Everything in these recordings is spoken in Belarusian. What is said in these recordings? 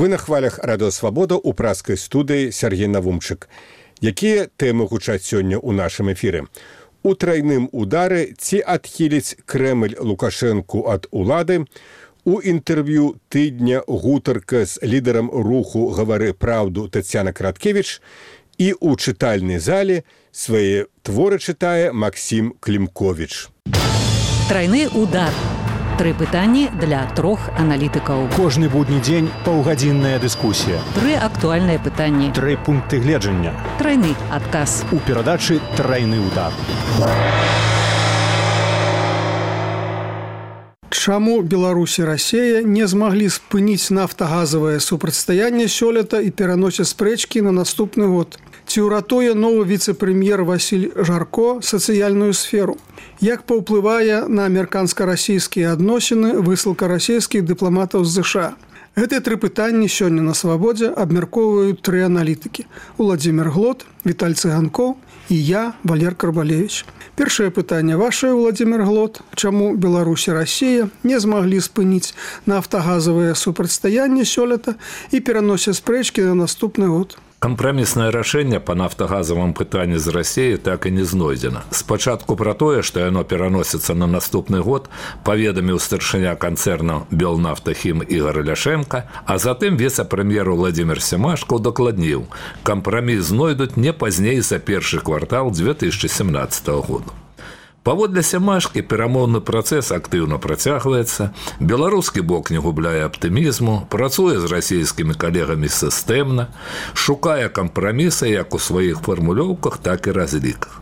Вы на хвалях Радыё Свабода ў праскай студыі Сергей Навумчык. Якія тэмы гучаць сёння ў нашым эфіры? У трайным удары ці адхіліць Крэмль Лукашэнку ад улады? У інтэрв'ю тыдня гутарка з лідарам руху «Гавары праўду» Тацяна Краткевіч і ў чытальнай зале свае творы чытае Максім Клімковіч. Трайны удар. 3 пытанні для 3 аналітыкаў. Кожны будні дзень паўгадзінная дыскусія. 3 актуальныя пытанні. 3 пункты гледжання. Трайны адказ. У перадачы «Трайны удар». Чаму Беларусь і Расія не змаглі спыніць нафтагазавае супрацьстаянне сёлета і пераносяць спрэчкі на наступны год? Ці ўратуе новы віцэ-прэм'ер Васіль Жарко сацыяльную сферу? Як паўплывае на амерыканска-расійскія адносіны высылка расійскіх дыпламатаў з ЗША? Гэтыя 3 пытанні сёння на Свабодзе абмяркоўваюць 3 аналітыкі. Уладзімір Глот, Віталь Цыганкоў і я, Валер Карбалевіч. Першае пытанне вашае, Уладзімір Глот. Чаму Беларусь і Расія не змаглі спыніць нафтагазавае супрацьстаянне сёлета і пераносяць спрэчкі на наступны год? Кампраміснае рашэнне па нафтагазавым пытанні з Расіяй так і не знойдзена. Спачатку пра тое, што яно пераносіцца на наступны год, паведаміў старшыня канцэрна «Белнафтахім» Ігор Ляшенка, а затым віцэ-прэм'ер Владзімір Семашко удакладніў, кампраміс знойдуць не пазней за першы квартал 2017 года. Паводле Семашкі перамоўны працэс актыўна працягваецца, беларускі бок не губляе аптымізму, працуе з расійскімі калегамі сістэмна, шукае кампрамісы як у сваіх фармулёўках, так і разліках.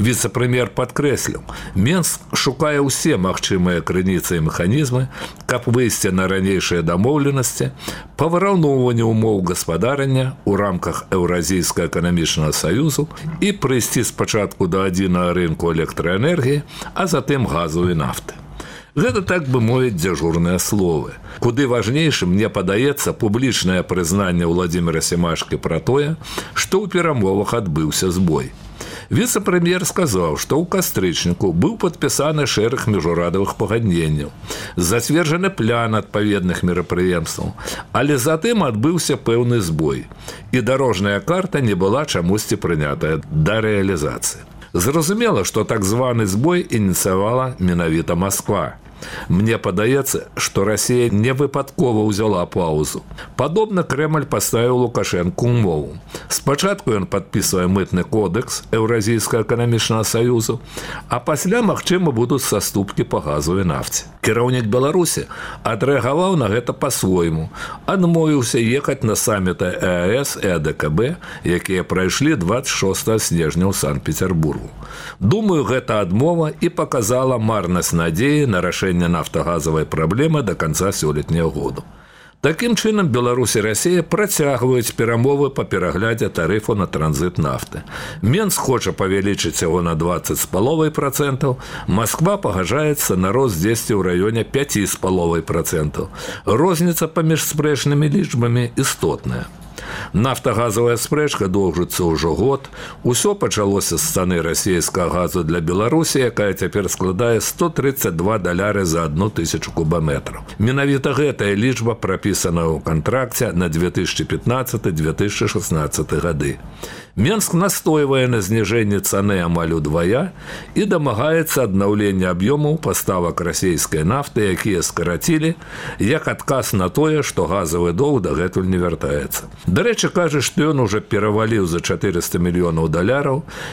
Віцэ-прэм'ер падкрэсліў, Менск шукае ўсе магчымыя крыніцы і механізмы, каб выйсці на ранейшыя дамоўленасці па выраўноўванню ўмоў гаспадарання ў рамках Еўразійскага эканамічнага саюзу і прыйсці спачатку да адзінага рынку электраэнергіі, а затым газу і нафты. Гэта, так бы мовіць, дзяжурныя словы. Куды важнейшым, мне падаецца, публічнае прызнанне Владзіміра Семашкі пра тое, што ў перамовах адбыўся збой. Віцэ-прэм'ер сказаў, што ў кастрычніку быў падпісаны шэраг міжурадавых пагадненняў, зацверджаны план адпаведных мерапрыемстваў, але затым адбыўся пэўны збой, і дарожная карта не была чамусьці прынятая да рэалізацыі. Зразумела, што так званы збой ініцыявала менавіта Масква. Мне падаецца, што Расія не выпадкова ўзяла паўзу. Падобна Крэмль паставіў Лукашэнку ўмову. Спачатку ён падпісвае мытны кодекс Еўразійскага эканамічнага саюзу, а пасля, магчыма, будуць саступкі па газу і нафце. Кіраўнік Беларусі адрэагаваў на гэта па-свойму, адмовіўся ехаць на саміты ЕАЭС і АДКБ, якія прайшлі 26 снежня ў Санкт-Петербургу. Думаю, гэта адмова і паказала марнасць надзеі на рашэнне нафтагазавай праблемы да канца сёлетняга году. Такім чынам, Беларусь і Расія працягваюць перамовы па пераглядзе тарыфу на транзіт нафты. Менск хоча павялічыць яго на 20,5%, Масква пагаджаецца на рост дзесьці ў раёне 5,5%. Розніца паміж спрэчнымі лічбамі істотная. Нафтагазавая спрэчка доўжыцца ўжо год. Усё пачалося з цаны расійскага газу для Беларусі, якая цяпер складае $132 за 1,000 кубаметраў. Менавіта гэтая лічба прапісана ў кантракце на 2015-2016 гады. Менск настойвае на зніжэнні цаны амаль удвая і дамагаецца аднаўлення аб'ёмаў паставак расійскай нафты, якія скарацілі, як адказ на тое, што газавы доўг дагэтуль не вяртаецца. Дарэчы, кажа, што ён ужо пераваліў за $400 мільёнаў.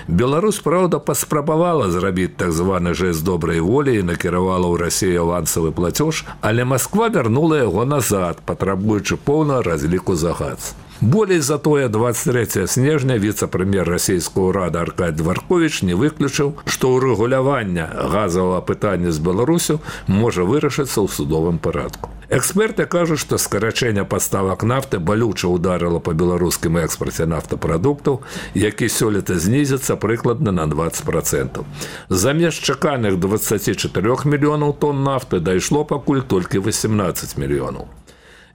Беларусь, праўда, паспрабавала зрабіць так званы жэст добрай волі і накіравала ў Расію авансавы плацёж, але Масква вярнула яго назад, патрабуючы поўнага разліку за газ. Болей за тое, 23 снежня віцэ-прэм'ер расійскага ўрада Аркадзь Дворковіч не выключыў, што ўрэгуляванне газавага пытання з Беларусю можа вырашыцца ў судовым парадку. Эксперты кажуць, што скарачэнне паставак нафты балюча ударыла па беларускім экспарце нафтапрадуктаў, які сёлета знізіцца прыкладна на 20%. Замест чаканых 24 мільёнаў тонн нафты дайшло пакуль толькі 18 мільёнаў.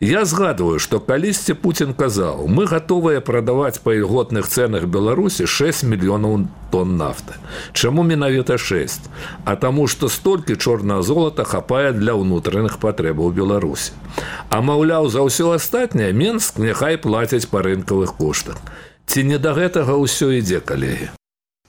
Я згадываю, што калісьці Путін казаў: мы гатовыя прадаваць па ільготных цэнах Беларусі 6 мільёнаў тонн нафты. Чаму менавіта 6? А таму, што столькі чорнага золата хапае для ўнутраных патрэбаў Беларусі. А маўляў, за ўсё астатняе Менск няхай плаціць па рынкавых коштах. Ці не да гэтага ўсё ідзе, калегі?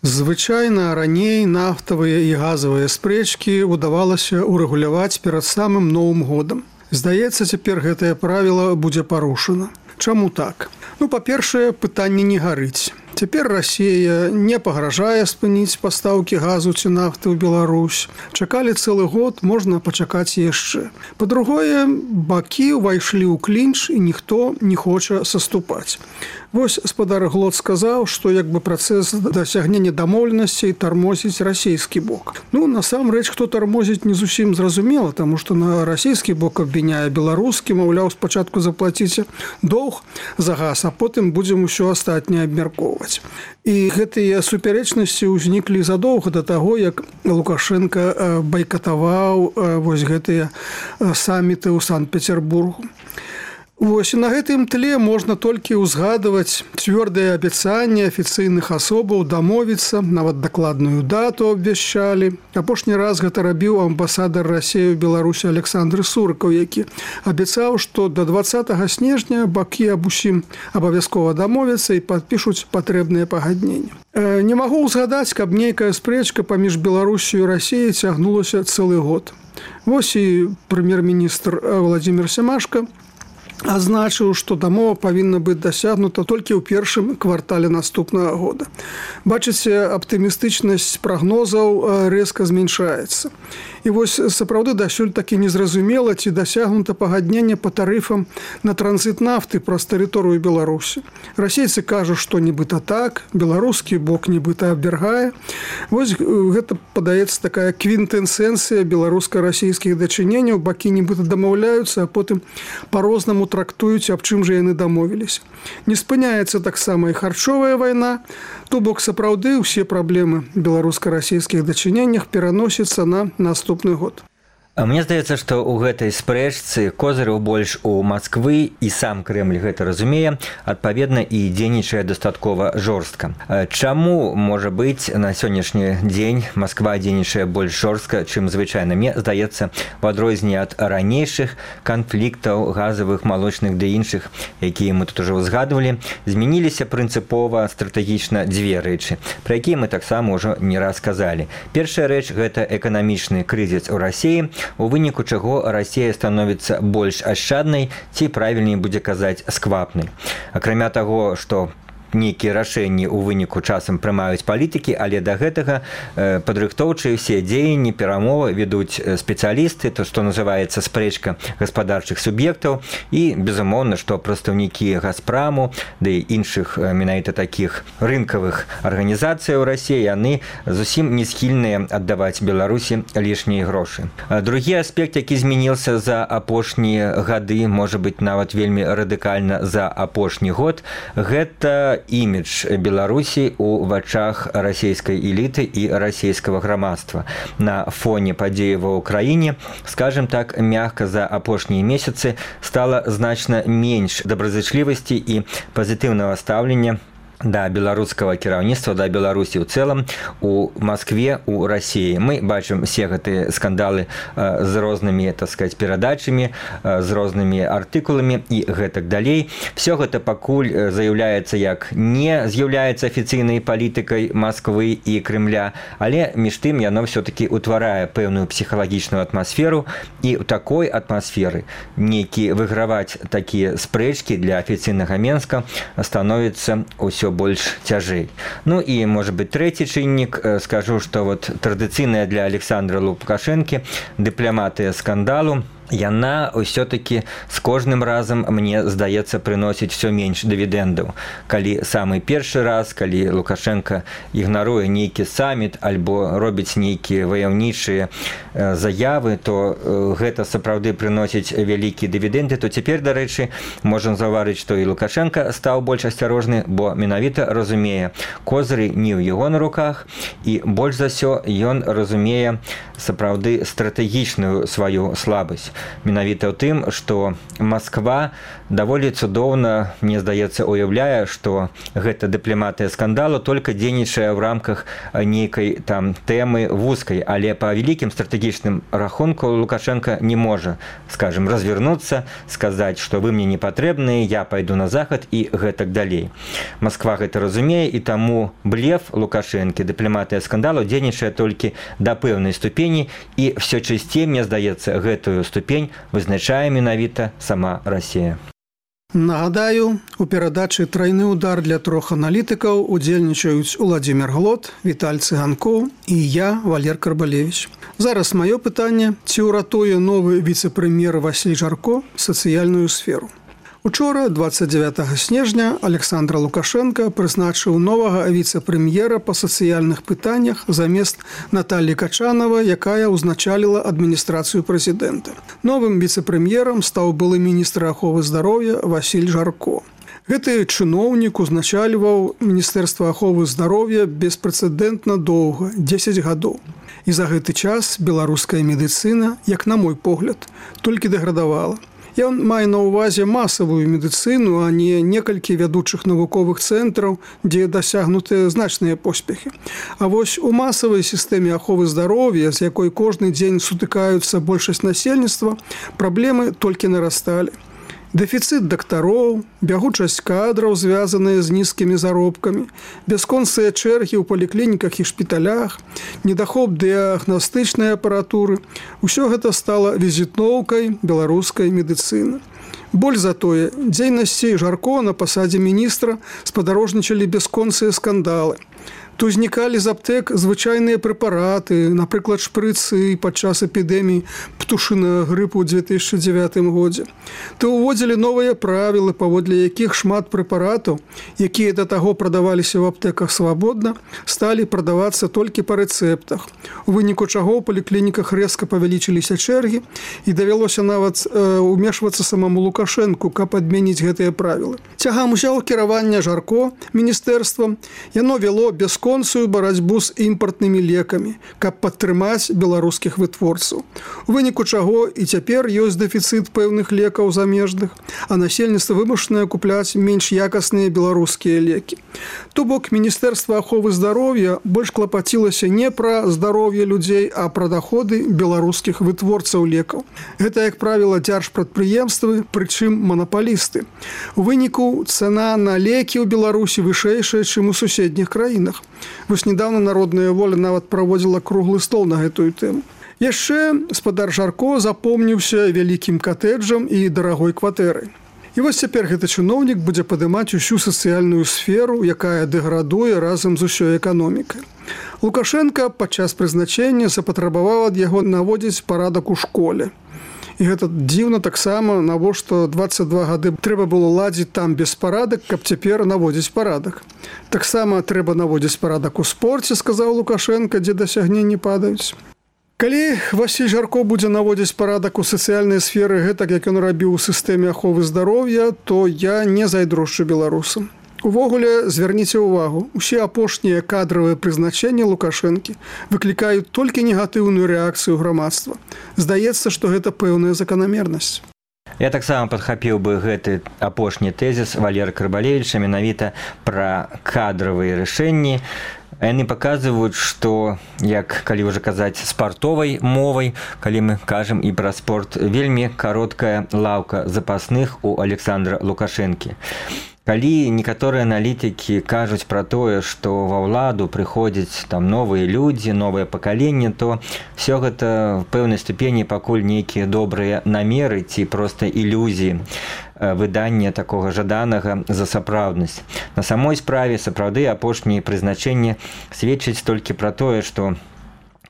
Звычайна раней нафтавыя і газавыя спрэчкі ўдавалася ўрэгуляваць перад самым Новым годам. Здаецца, цяпер гэтае правіла будзе парушана. Чаму так? Па-першае, пытанне не гарыць. Цяпер Расія не пагражае спыніць пастаўкі газу ці нафты ў Беларусь. Чакалі цэлы год, можна пачакаць яшчэ. Па-другое, бакі ўвайшлі ў клінч і ніхто не хоча саступаць. Вось спадар Глот сказаў, што як бы працэс дасягнення дамоўленасцей тармозіць расійскі бок. Насамрэч, хто тармозіць, не зусім зразумела, таму што на расійскі бок абвіняе беларускі, маўляў, спачатку заплаціце доўг за газ, а потым будзем усё астатняе абмяркоўваць. І гэтыя супярэчнасці ўзніклі задоўга да таго, як Лукашенко байкатаваў вось гэтыя саміты ў Санкт-Петербургу. Вось, і на гэтым тле можна толькі ўзгадваць цвёрдыя абяцанні афіцыйных асобаў дамовіцца, нават дакладную дату абвяшчалі. Апошні раз гэта рабіў амбасадар Расіі ў Беларусі Александр Суркаў, які абяцаў, што да 20 снежня бакі аб усім абавязкова дамовяцца і падпішуць патрэбныя пагадненні. Не магу ўзгадаць, каб нейкая спрэчка паміж Беларусю і Расіяй цягнулася цэлы год. Вось і прэм'ер-міністр Владзімір Семашка азначыў, што дамова павінна быць дасягнута толькі ў першым квартале наступнага года. Бачыце, аптымістычнасць прагнозаў рэзка змяншаецца. І вось сапраўды дасюль такі незразумела, ці дасягнута пагадненне па тарыфам на транзіт нафты праз тэрыторыю Беларусі. Расейцы кажуць, што нібыта так, беларускі бок нібыта абвяргае. Вось гэта, падаецца, такая квінтэсенцыя беларуска-расійскіх дачыненняў. Бакі нібыта дамаўляюцца, а потым па-рознаму трактуюць, аб чым жа яны дамовіліся. Не спыняецца таксама і харчовая вайна. То бок сапраўды ўсе праблемы беларуска-расійскіх дачыненнях пераносяцца на наступны год. Мне здаецца, што ў гэтай спрэчцы козыраў больш у Масквы, і сам Крэмль гэта разумее, адпаведна і дзейнічае дастаткова жорстка. Чаму, можа быць, на сённяшні дзень Масква дзейнічае больш жорстка, чым звычайна? Мне здаецца, у адрозненне ад ранейшых канфліктаў газавых, малочных ды іншых, якія мы тут ужо ўзгадвалі, змяніліся прынцыпова стратэгічна дзве рэчы, пра якія мы таксама ўжо не раз казалі. Першая рэч – гэта эканамічны крызіс у Расіі, у выніку чаго Расія становіцца больш ашчаднай, ці правільней будзе казаць сквапнай. Акрамя таго, што нейкія рашэнні ў выніку часам прымаюць палітыкі, але да гэтага падрыхтоўчыя ўсе дзеянні, перамовы ведуць спецыялісты, то, што называецца спрэчка гаспадарчых суб'ектаў, і, безумоўна, што прадстаўнікі Газпраму, ды іншых менавіта такіх рынкавых арганізацый у Расіі, яны зусім не схільныя аддаваць Беларусі лішнія грошы. Другі аспект, які змяніўся за апошнія гады, можа быць, нават вельмі радыкальна за апошні год, гэта імідж Беларусі ў вачах расійскай эліты і расійскага грамадства. На фоне падзеі ва ўкраіне, скажем так, мякка, за апошнія месяцы стала значна менш добразычлівасці і пазітыўнага стаўлення да беларускага кіраўніцтва, да Беларусі ў цэлым, у Маскве, у Расіі. Мы бачым все гэтыя скандалы з рознымі, так сказать, перадачамі, з рознымі артыкуламі і гэтак далей. Все гэта пакуль заяўляецца як не з'яўляецца афіцыйнай палітыкай Масквы і Крэмля, але між тым яно все-таки утварае пэўную псіхалагічную атмасферу, і ў такой атмасферы нейкі выграваць такія спрэчкі для афіцыйнага Менска становіцца ўсё больш цяжэй. Ну і, может быть, трэці чыннік, скажу, што вот традыцыйная для Александра Лукашэнкі дыпламатыя скандалу, яна ўсё-таки з кожным разам, мне здаецца, прыносіць все менш дывідэндаў. Калі самы першы раз, калі Лукашенко ігнаруе нейкі саміт альбо робіць нейкія ваяўнічыя заявы, то гэта сапраўды прыносіць вялікія дывідэнды, то цяпер, дарэчы, можам заўважыць, што і Лукашенко стаў больш асцярожны, бо менавіта разумее, козыры не ў яго на руках, і больш за ўсё ён разумее сапраўды стратэгічную сваю слабасць. менавіта ў тым, што Масква даволі цудоўна, мне здаецца, уяўляе, што гэта дыпламатыя скандалу толькі дзейнічае ў рамках нейкай там тэмы вузкай, але па вялікім стратэгічным рахунку Лукашенко не можа, скажем, развернуцца, сказаць, што вы мне не патрэбныя, я пайду на захад і гэтак далей. Масква гэта разумее, і таму блеф Лукашэнкі, дыпламатыя скандалу дзейнічае толькі да пэўнай ступені, і все часцей, мне здаецца, гэтую ступень вызначае менавіта сама Расія. Нагадаю, у перадачы «Трайны удар» для 3 аналітыкаў удзельнічаюць Уладзімір Глот, Віталь Цыганкоў і я, Валер Карбалевіч. Зараз маё пытанне, ці ўратуе новы віцэ-прэм'ер Васіль Жарко сацыяльную сферу. Учора, 29 снежня, Александр Лукашенко прызначыў новага віцэ-прэм'ера па сацыяльных пытаннях замест Наталлі Качанова, якая ўзначаліла адміністрацыю прэзідэнта. Новым віцэ-прэм'ерам стаў былы міністр аховы здароўя Васіль Жарко. Гэты чыноўнік узначальваў Міністэрства аховы здароўя беспрэцэдэнтна доўга, 10 гадоў. І за гэты час беларуская медыцына, як на мой погляд, толькі дэградавала. Ён мае на ўвазе масавую медыцыну, а не некалькі вядучых навуковых цэнтраў, дзе дасягнутыя значныя поспехі. А вось у масавай сістэме аховы здароўя, з якой кожны дзень сутыкаюцца большасць насельніцтва, праблемы толькі нарасталі. Дэфіцыт дактароў, бягучасць кадраў, звязаныя з нізкімі заробкамі, бясконцыя чэргі ў паліклініках і шпіталях, недахоп дыягнастычнай апаратуры – усё гэта стала візітноўкай беларускай медыцыны. Больш за тое, дзейнасці Жарко на пасадзе міністра спадарожнічалі бясконцыя скандалы. То узнікалі з аптэк звычайныя прэпараты, напрыклад, шпрыцы падчас эпідэміі птушынага грыпу ў 2009 годзе. То ўводзілі новыя правілы, паводле якіх шмат прэпаратаў, якія да таго прадаваліся ў аптэках свабодна, сталі прадавацца толькі па рэцэптах. У выніку чаго ў паліклініках рэзка павялічыліся чэргі і давялося нават умешвацца самому Лукашэнку, каб адмяніць гэтыя правілы. Цягам узяў кіраванне Жарко міністэрствам, яно вяло бясконцую барацьбу з імпартнымі лекамі, каб падтрымаць беларускіх вытворцаў. У выніку чаго і цяпер ёсць дэфіцыт пэўных лекаў замежных, а насельніцтва вымушанае купляць менш якасныя беларускія лекі. То бок Міністэрства аховы здароўя больш клапацілася не пра здароўе людзей, а пра даходы беларускіх вытворцаў лекаў. Гэта, як правіла, дзяржпрадпрыемствы, прычым манапалісты. У выніку цана на лекі ў Беларусі вышэйшая, чым у суседніх краінах. Вось недавно Народная воля нават праводзіла круглы стол на гэтую тэму. Яшчэ спадар Жарко запомніўся вялікім катэджам і дарагой кватэрай. І вось цяпер гэты чыноўнік будзе падымаць усю сацыяльную сферу, якая дэградуе разам з усёй эканомікай. Лукашенко падчас прызначэння запатрабаваў ад яго наводзіць парадак у школе. І гэта дзіўна таксама, навошта 22 гады трэба было ладзіць там беспарадак, каб цяпер наводзіць парадак. Таксама трэба наводзіць парадак у спорце, сказаў Лукашенко, дзе дасягненні падаюць. Калі Васіль Жарко будзе наводзіць парадак у сацыяльнай сферы гэтак, як ён рабіў у сістэме аховы здароўя, то я не зайздрошчу беларусам. Увогуле, звярніце ўвагу, усе апошнія кадравыя прызначэнні Лукашэнкі выклікаюць толькі негатыўную рэакцыю грамадства. Здаецца, што гэта пэўная заканамернасць. Я таксама падхапіў бы гэты апошні тэзіс Валера Карбалевіча менавіта пра кадравыя рашэнні. Яны паказваюць, што, як калі ўжо казаць спартовай мовай, калі мы кажам і пра спорт, вельмі кароткая лаўка запасных у Александра Лукашэнкі. Калі некаторыя аналітыкі кажуць пра тое, што ва ўладу прыходзяць там новыя людзі, новае пакаленне, то все гэта в пэўнай ступені пакуль нейкія добрыя намеры ці проста ілюзіі выдання такога жаданага за сапраўднасць. На самой справе сапраўды апошнія прызначэнні сведчаць толькі пра тое, што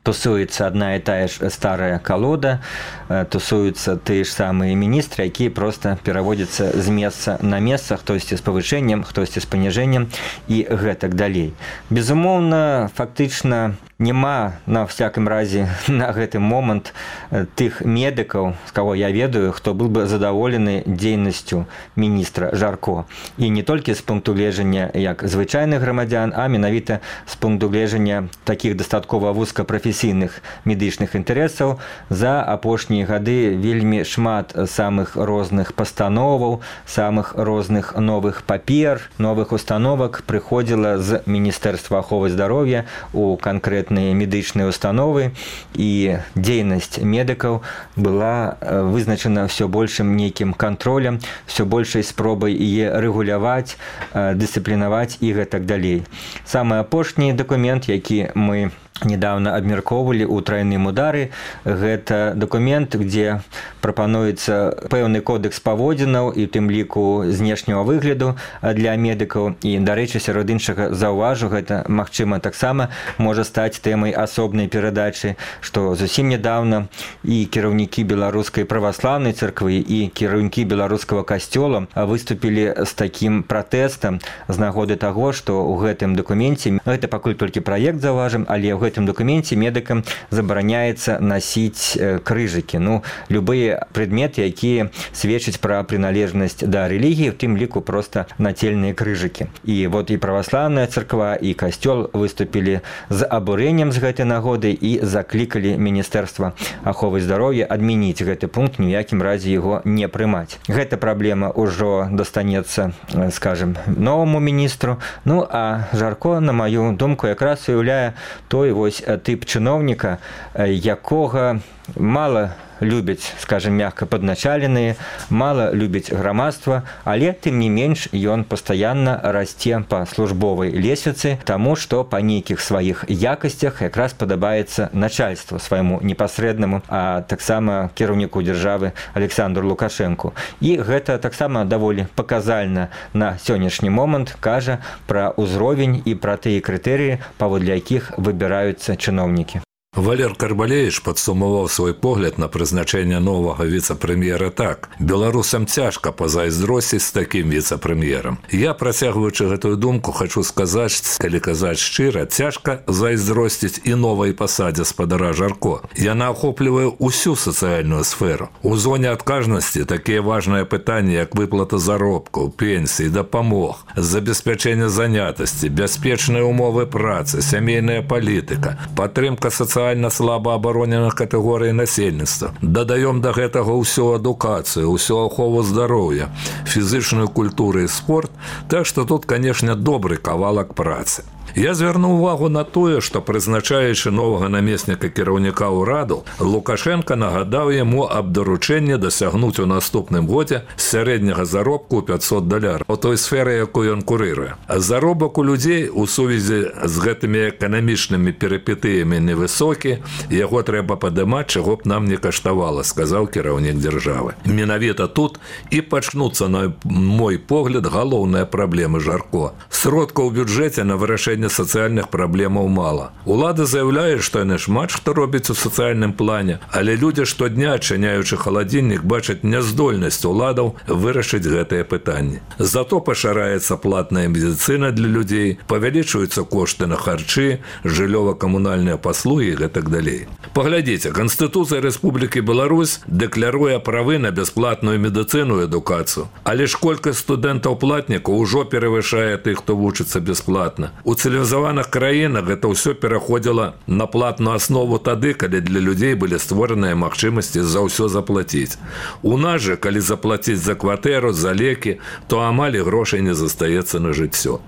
тусуецца адна і тая ж старая калода, тусуюцца тыя ж самыя міністры, якія проста пераводзяцца з месца на месца, хтосьці з павышэннем, хтосьці з паніжэннем і гэтак далей. Безумоўна, фактычна няма на всякім разе на гэты момант тых медыкаў, з каго я ведаю, хто быў бы задаволены дзейнасцю міністра Жарко. І не толькі з пункту гледжання як звычайных грамадзян, а менавіта з пункту гледжання такіх дастаткова вузкапрафесійных медычных інтарэсаў. За апошнія гады вельмі шмат самых розных пастановаў, самых розных новых папер, новых установак прыходзіла з Міністэрства аховы здароўя у канкрэтныя медычныя установы, і дзейнасць медыкаў была вызначана ўсё большым нейкім кантролем, ўсё большай спробай яе рэгуляваць, дысцыплінаваць і гэтак далей. Самы апошні дакумент, які мы недавно абмяркоўвалі ў трайным удары, гэта дакумент, дзе прапануецца пэўны кодекс паводзінаў і тым ліку знешняга выгляду для медыкаў. І, дарэчы, сярод іншага заўважу, гэта, магчыма, таксама можа стаць тэмай асобнай перадачы, што зусім недавно і кіраўнікі беларускай праваслаўнай царквы, і кіраўнікі беларускага касцёла выступілі з такім пратэстам з нагоды таго, што ў гэтым дакуменце, гэта пакуль толькі праект, заўважым, але ў гэтым дакуменце медыкам забараняецца насіць крыжыкі. Любыя предметы, якія сведчаць пра прыналежнасць да рэлігіі, в тым ліку проста нацельныя крыжыкі. І вот і праваслаўная царква, і касцёл выступілі з абурэннем з гэтай нагоды і заклікалі Міністэрства аховы здароўя адмяніць гэты пункт, ні ў якім разе яго не прымаць. Гэта праблема ўжо дастанецца, скажем, новаму міністру. А Жарко, на маю думку, якраз уяўляе той тып чыноўніка, якога мала любяць, скажем, мягка падначаленыя, мала любіць грамадства, але тым не менш ён пастаянна расце па службовай лесвіцы, таму што па нейкіх сваіх якасцях якраз падабаецца начальству свайму непасрэднаму, а таксама кіраўніку дзяржавы Александру Лукашэнку. І гэта таксама даволі паказальна на сённяшні момант кажа пра ўзровень і пра тыя крытэрыі, паводле якіх выбіраюцца чыноўнікі. Валер Карбалевич падсумаваў свой погляд на прызначэнне новага віцэ-прэм'ера так: беларусам цяжка пазайздросціць з такім віцэ-прэм'ерам. Я, працягваючы гэтую думку, хочу сказаць, калі казаць шчыра, цяжка зайздросціць і новай пасадзе спадара Жарко. Яна ахоплівае ўсю сацыяльную сферу. У зоне адказнасці такія важныя пытанні, як выплата заробкаў, пенсій, дапамог, забеспячэнне занятасці, бяспечныя умовы працы, сямейная палітыка, падтрымка сацыяльных слаба абароненых катэгорый насельніцтва. Дадаём да гэтага ўсю адукацыю, ўсю ахову здароўя, фізычную культуру і спорт, так што тут, канешне, добры кавалак працы. Я звярнуў увагу на тое, што, прызначаючы новага намесніка кіраўніка ўраду, Лукашенко нагадаў яму аб даручэнні дасягнуць у наступным годзе сярэдняга заробку ў $500 у той сферы, якую ён курыруе. А заробак у людзей у сувязі з гэтымі эканамічнымі перыпетыямі невысокі, яго трэба падымаць, чаго б нам не каштавала, сказаў кіраўнік дзяржавы. Менавіта тут і пачнуцца, на мой погляд, галоўныя праблемы Жарко. Сродкаў у бюджэце на вырашэнне сацыяльных праблемаў мала. Улада заяўляе, што яны шмат што робяць у сацыяльным плане, але людзі штодня, адчыняючы халадзільнік, бачаць няздольнасць уладаў вырашыць гэтыя пытанні. Зато пашыраецца платная медыцына для людзей, павялічваюцца кошты на харчы, жыллёва-камунальныя паслугі і гэтак далей. Паглядзіце, Канстытуцыя Рэспублікі Беларусь дэкляруе правы на бясплатную медыцыну і адукацыю, але ж колькасць студэнтаў-платнікаў ўжо перавышае тых, хто вучыцца бясплатна. У цывілізаваных краінах гэта ўсё пераходзіла на платную аснову тады, калі для людзей былі створаныя магчымасці за ўсё заплаціць. У нас жа, калі заплаціць за кватэру, за лекі, то амаль грошай не застаецца на жыццё.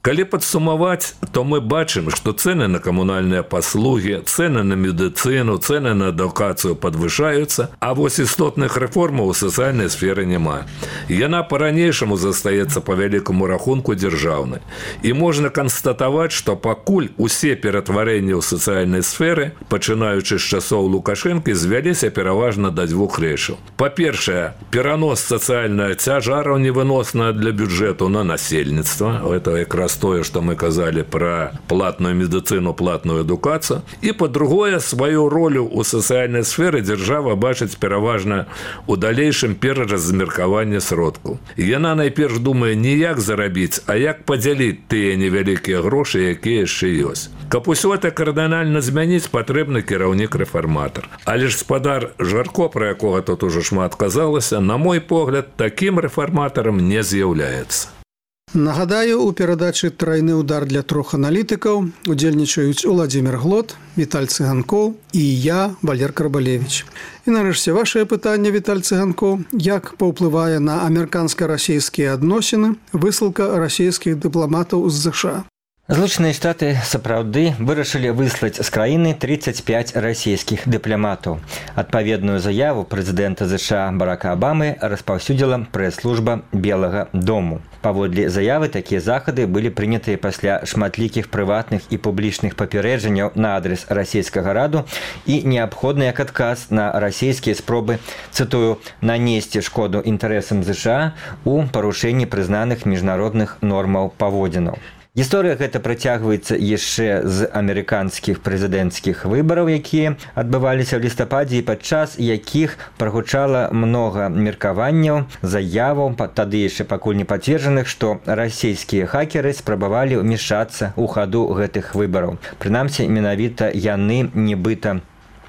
Калі падсумаваць, то мы бачым, што цэны на камунальныя паслугі, цэны на медыцыну, цэны на адукацыю падвышаюцца, а вось істотных рэформаў у сацыяльнай сферы няма. Яна па-ранейшаму застаецца па вялікаму рахунку дзяржаўнай. І можна канстатаваць, што пакуль усе ператварэнні ў сацыяльнай сферы, пачынаючы з часоў Лукашэнкі, звяліся пераважна да двух рэчаў. Па-першае, перанос сацыяльнага цяжару невыносна для бюджэту на насельніцтва. Это якраз тое, што мы казалі пра платную медыцыну, платную адукацыю. І, па-другое, сваю ролю ў сацыяльнай сферы дзяржава бачыць пераважна ў далейшым пераразмеркаванні сродкаў. Яна найперш думае не як зарабіць, а як падзяліць тыя невялікія грошы, якія яшчэ ёсць. Каб усё это кардынальна змяніць, патрэбны кіраўнік-рэфарматар. Але ж спадар Жарко, пра якога тут ужо шмат казалася, на мой погляд, такім рэфарматарам не з'яўляецца. Нагадаю, у перадачы «Трайны удар» для 3 аналітыкаў удзельнічаюць Уладзімір Глот, Віталь Цыганкоў і я, Валер Карбалевіч. І нарэшце вашае пытанне, Віталь Цыганкоў, як паўплывае на амерыканска-расійскія адносіны высылка расійскіх дыпламатаў з ЗША? Злучаныя Штаты сапраўды вырашылі выслаць з краіны 35 расійскіх дыпламатаў. Адпаведную заяву прэзідэнта ЗША Барака Абамы распаўсюдзіла прэс-служба Белага дому. Паводле заявы, такія захады былі прынятыя пасля шматлікіх прыватных і публічных папярэджанняў на адрес расійскага раду і неабходны як адказ на расійскія спробы, цытую, нанесці шкоду інтарэсам ЗША у парушэнні прызнаных міжнародных нормаў паводзінаў. Гісторыя гэта працягваецца яшчэ з амерыканскіх прэзідэнцкіх выбараў, якія адбываліся ў лістападзе і падчас якіх прагучала многа меркаванняў, заяваў, тады яшчэ пакуль не пацверджаных, што расійскія хакеры спрабавалі ўмешацца ў хаду гэтых выбараў. Прынамсі, менавіта яны нібыта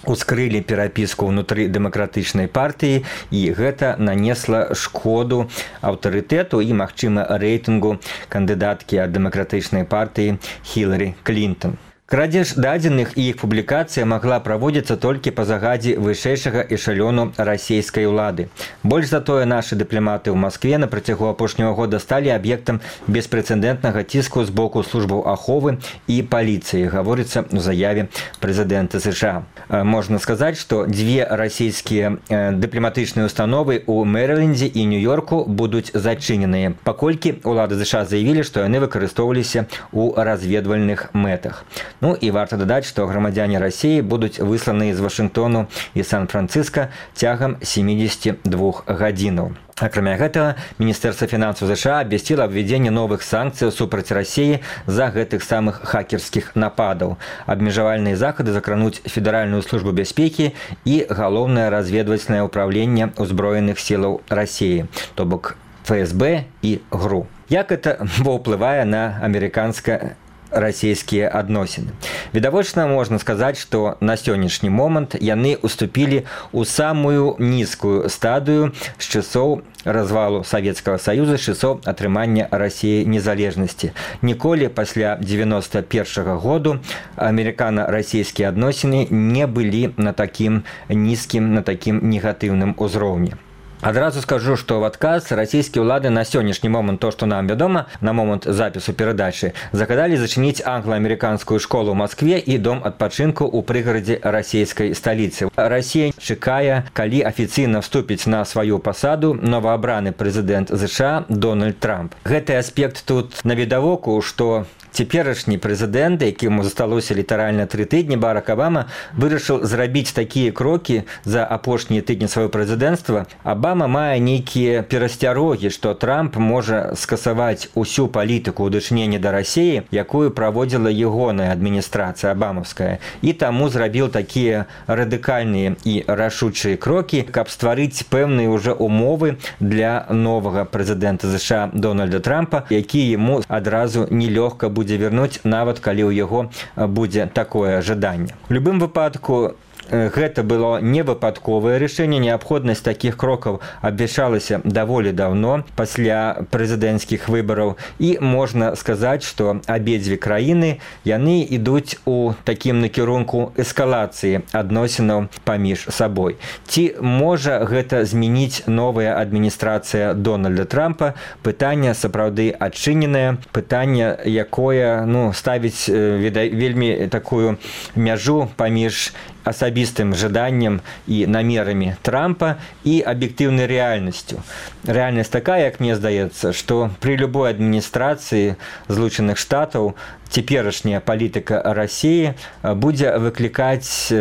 ускрылі перапіску ўнутры дэмакратычнай партыі, і гэта нанесла шкоду аўтарытэту і, магчыма, рэйтынгу кандыдаткі ад дэмакратычнай партыі Хілары Клінтон. Крадзеж дадзеных і іх публікацыя магла праводзіцца толькі па загадзе вышэйшага эшалёну расійскай улады. Больш за тое, нашы дыпламаты ў Маскве на працягу апошняга года сталі аб'ектам беспрэцэдэнтнага ціску з боку службаў аховы і паліцыі, гаворыцца ў заяве прэзідэнта ЗША. Можна сказаць, што 2 расійскія дыпламатычныя установы ў Мэрылендзе і Нью-Йорку будуць зачыненыя, паколькі ўлады ЗША заявілі, што яны выкарыстоўваліся ў разведвальных мэтах. Ну і варта дадаць, што грамадзяне Расіі будуць высланы з Вашынгтону і Сан-Францыска цягам 72 гадзінаў. Акрамя гэтага, Міністэрства фінансаў ЗША абвясціла абвядзенне новых санкцыяў супраць Расіі за гэтых самых хакерскіх нападаў. Абмежавальныя захады закрануць Федэральную службу бяспекі і галоўнае разведвальнае ўпраўленне ўзброеных сілаў Расіі, то бок ФСБ і ГРУ. Як гэта паўплывае на амерыканска-расійскія адносіны? Відавочна можна сказаць, што на сённяшні момант яны уступілі ў самую нізкую стадыю з часоў развалу Савецкага Саюза, з часоў атрымання Расіі незалежнасці. Ніколі пасля 91-го году амерыкана-расійскія адносіны не былі на такім нізкім, на такім негатыўным узроўні. Адразу скажу, што ў адказ расійскія ўлады на сённяшні момант, то, што нам вядома, на момант запісу перадачы, загадалі зачыніць англа-амерыканскую школу ў Маскве і дом адпачынку ў прыгарадзе расійскай сталіцы. Расія чакае, калі афіцыйна вступіць на сваю пасаду новаабраны прэзідэнт ЗША Дональд Трамп. Гэты аспект тут навідавоку, што цяперашні прэзідэнт, якому засталося літаральна 3 тыдні, Барак Абама, вырашыў зрабіць такія крокі за апошнія тыдні свайго прэзідэнцтва. Абама мае нейкія перасцярогі, што Трамп можа скасаваць усю палітыку ў дачыненні да Расіі, якую праводзіла ягоная адміністрацыя абамаўская, і таму зрабіў такія радыкальныя і рашучыя крокі, каб стварыць пэўныя ўжо умовы для новага прэзідэнта ЗША Дональда Трампа, які яму адразу нелёгка будзе вярнуць, нават калі ў яго будзе такое жаданне. У любым выпадку, гэта было невыпадковае рашэнне. Неабходнасць такіх крокаў абвяшчалася даволі даўно пасля прэзідэнцкіх выбараў, і можна сказаць, што абедзве краіны яны ідуць у такім накірунку эскалацыі адносінаў паміж сабой. Ці можа гэта змяніць новая адміністрацыя Дональда Трампа? Пытанне сапраўды адчыненае, пытанне, якое ставіць вельмі такую мяжу паміж асабістым жаданнем і намерамі Трампа і аб'ектыўнай рэальнасцю. Рэальнасць такая, як мне здаецца, што пры любой адміністрацыі Злучаных Штатаў цяперашняя палітыка Расіі будзе выклікаць,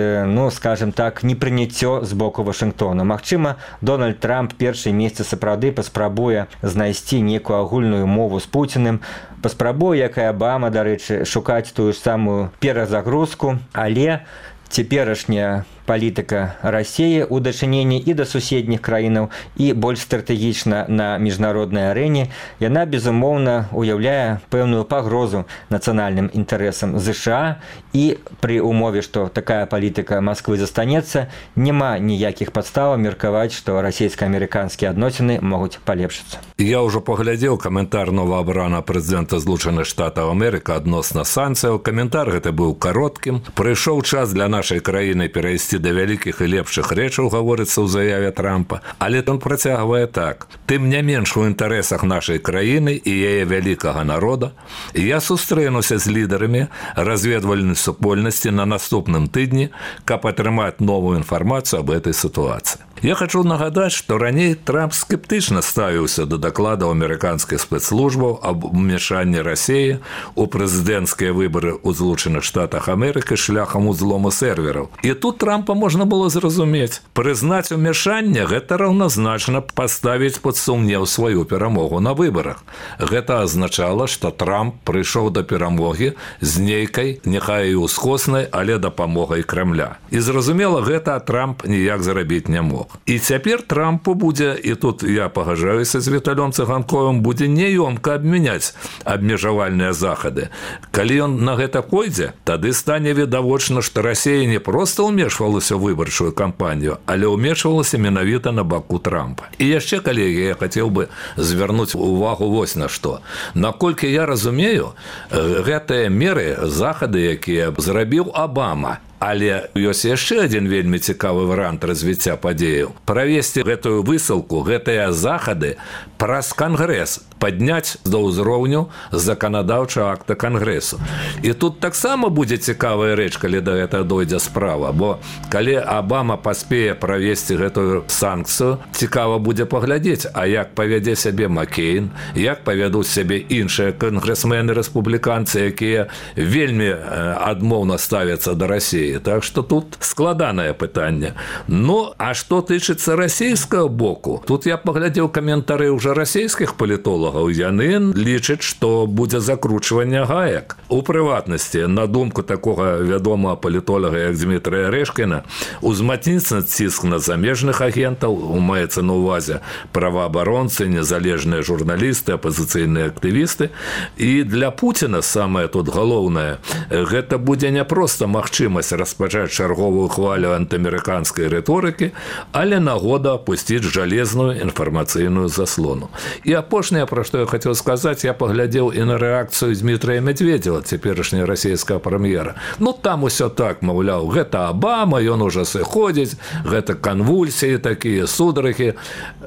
скажем так, непрыняццё з боку Вашынгтона. Магчыма, Дональд Трамп першыя месяцы сапраўды паспрабуе знайсці нейкую агульную мову з Пуціним, паспрабуе, як і Абама, дарэчы, шукаць тую ж самую перазагрузку, але цяперашняя палітыка Расіі ў дачыненні і да суседніх краінаў, і больш стратэгічна на міжнароднай арэне, яна, безумоўна, уяўляе пэўную пагрозу нацыянальным інтарэсам ЗША, і пры умове, што такая палітыка Масквы застанецца, няма ніякіх падставаў меркаваць, што расійска-амерыканскія адносіны могуць палепшыцца. Я ўжо паглядзеў каментар новаабранага прэзідэнта Злучаных Штатаў Амерыкі адносна санкцыяў. Каментар гэты быў кароткім. Прыйшоў час для нашай краіны перайсці да вялікіх і лепшых рэчаў, гаворыцца ў заяве Трампа. Але ён працягвае так. Тым не менш у інтарэсах нашай краіны і яе вялікага народа я сустрэнуся з лідарамі разведвальнай супольнасці на наступным тыдні, каб атрымаць новую інфармацыю аб гэтай сітуацыі. Я хочу нагадаць, што раней Трамп скептычна ставіўся да дакладаў амерыканскіх спецслужбаў аб умешанні Расіі ў прэзідэнцкія выбары ў Злучаных Штатах Амерыкі шляхам узлому сервераў. І тут Трампа можна было зразумець. Прызнаць умешанне – гэта раўназначна паставіць пад сумнеў сваю перамогу на выбарах. Гэта азначала, што Трамп прыйшоў да перамогі з нейкай, няхай і ўсхоснай, але дапамогай Крамля. І зразумела, гэта Трамп ніяк зарабіць не мог. І цяпер Трампу будзе, і тут я пагаджаюся з Віталём Цыганковым, будзе няёмка абмяняць абмежавальныя захады. Калі ён на гэта пойдзе, тады стане відавочна, што Расія не проста ўмешвалася ў выбарчую кампанію, але ўмешвалася менавіта на баку Трампа. І яшчэ, калегі, я хацеў бы звярнуць увагу вось на што. Наколькі я разумею, гэтыя меры, захады, якія зрабіў Абама, але ёсць яшчэ адзін вельмі цікавы варыянт развіцця падзеяў. Правесці гэтую высылку, гэтыя захады праз Кангрэс, падняць да ўзроўню заканадаўчага акта Кангрэсу. І тут таксама будзе цікавая рэч, калі да гэтага дойдзе справа, бо калі Абама паспее правесці гэтую санкцыю, цікава будзе паглядзець, а як павядзе сябе Маккейн, як павядуць сябе іншыя кангрэсмены-рэспубліканцы, якія вельмі адмоўна ставяцца да Расіі. Так што тут складанае пытанне. Ну, а што тычыцца расійскага боку? Тут я паглядзеў каментары ўжо расійскіх палітолагаў. Яны лічаць, што будзе закручванне гаек. У прыватнасці, на думку такога вядомага палітолага, як Дмітрия Рэшкіна, узмацніцца ціск на замежных агентаў, маецца на ўвазе праваабаронцы, незалежныя журналісты, апазіцыйныя актывісты. І для Пуціна самае тут галоўнае, гэта будзе не проста магчымасць распачаць чарговую хвалю антыамерыканскай рыторыкі, але нагода пусціць жалезную інфармацыйную заслону. І апошняе, пра што я хацеў сказаць, я паглядзеў і на рэакцыю Дмітрия Медведева, цяперашняя расійская прэм'ера. Ну, там усё так, маўляў, гэта Абама, ён ужо сыходзіць, гэта канвульсіі такія, сударыхі.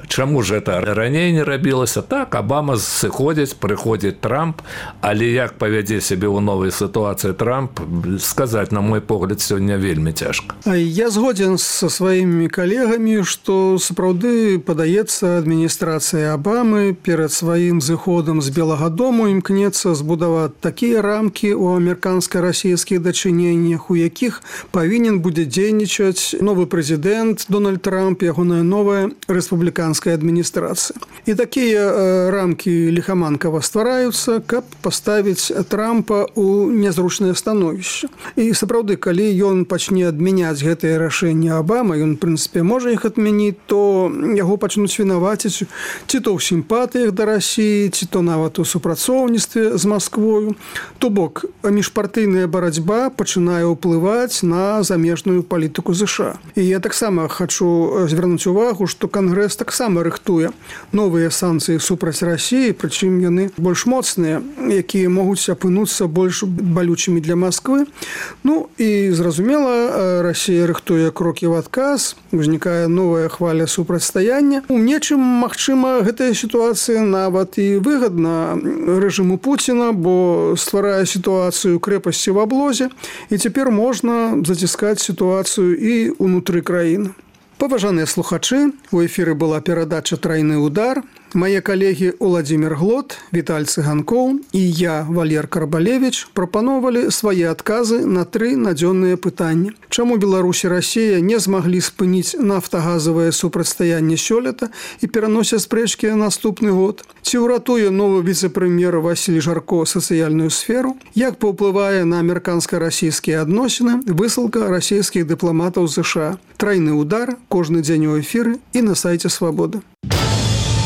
Чаму ж гэта раней не рабілася? Так, Абама сыходзіць, прыходзіць Трамп, але як павядзе сябе ў новай сітуацыі Трамп, сказаць, на мой погляд, сёння вельмі цяжка. Я згоден са сваімі калегамі, што сапраўды падаецца адміністрацыя Абамы перад сваім зыходам з Белага дому імкнецца збудаваць такія рамкі ў амерыканска-расійскіх дачыненнях, у якіх павінен будзе дзейнічаць новы прэзідэнт Дональд Трамп, ягоная новая рэспубліканская адміністрацыя. І такія рамкі ліхаманкава ствараюцца, каб паставіць Трампа ў нязручнае становішча. І сапраўды, калі ён пачне адмяняць гэтыя рашэнні Абама, ён, в прынцыпе, можа іх адмяніць, то яго пачнуць вінаваціць ці то ў сімпатыях да Расіі, ці то нават у супрацоўніцтве з Масквою. То бок, міжпартыйная барацьба пачынае ўплываць на замежную палітыку ЗША. І я таксама хачу звярнуць увагу, што Кангрэс таксама рыхтуе новыя санкцыі супраць Расіі, прычым яны больш моцныя, якія могуць апынуцца больш балючымі для Масквы. Ну, і зразумела, Расія рыхтуе крокі ў адказ, узнікае новая хваля супрацьстаяння. У нечым, магчыма, гэтая сітуацыя нават і выгадна рэжыму Пуціна, бо стварае сітуацыю крэпасці в аблозе, і цяпер можна заціскаць сітуацыю і ўнутры краіны. Паважаныя слухачы, у эфіры была перадача «Трайны удар». Мае калегі Уладзімір Глот, Віталь Цыганкоў і я, Валер Карбалевіч, прапановалі свае адказы на 3 надзённыя пытанні. Чаму Беларусь і Расія не змаглі спыніць нафтагазавае супрацьстаянне сёлета і пераносяць спрэчкі на наступны год? Ці ўратуе новы віцэ-прэм'ер Васіль Жарко сацыяльную сферу? Як паўплывае на амерыканска-расійскія адносіны высылка расійскіх дыпламатаў США? Трайны удар кожны дзень у эфіры і на сайце Свабода.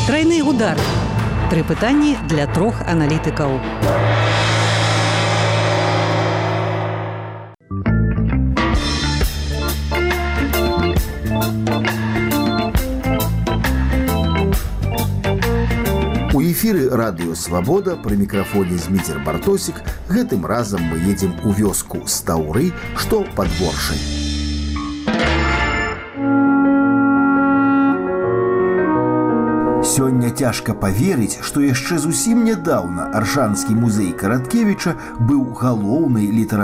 Трайны удар. 3 пытанні для 3 аналітыкаў. У эфіры радыё Свабода пры мікрафоне Зміцер Бартосік. Гэтым разам мы едзем у вёску Стаўры, што пад Воршай. Сёння цяжка паверыць, што яшчэ зусім нядаўна Аршанскі музей Караткевіча быў галоўнай літаратурнай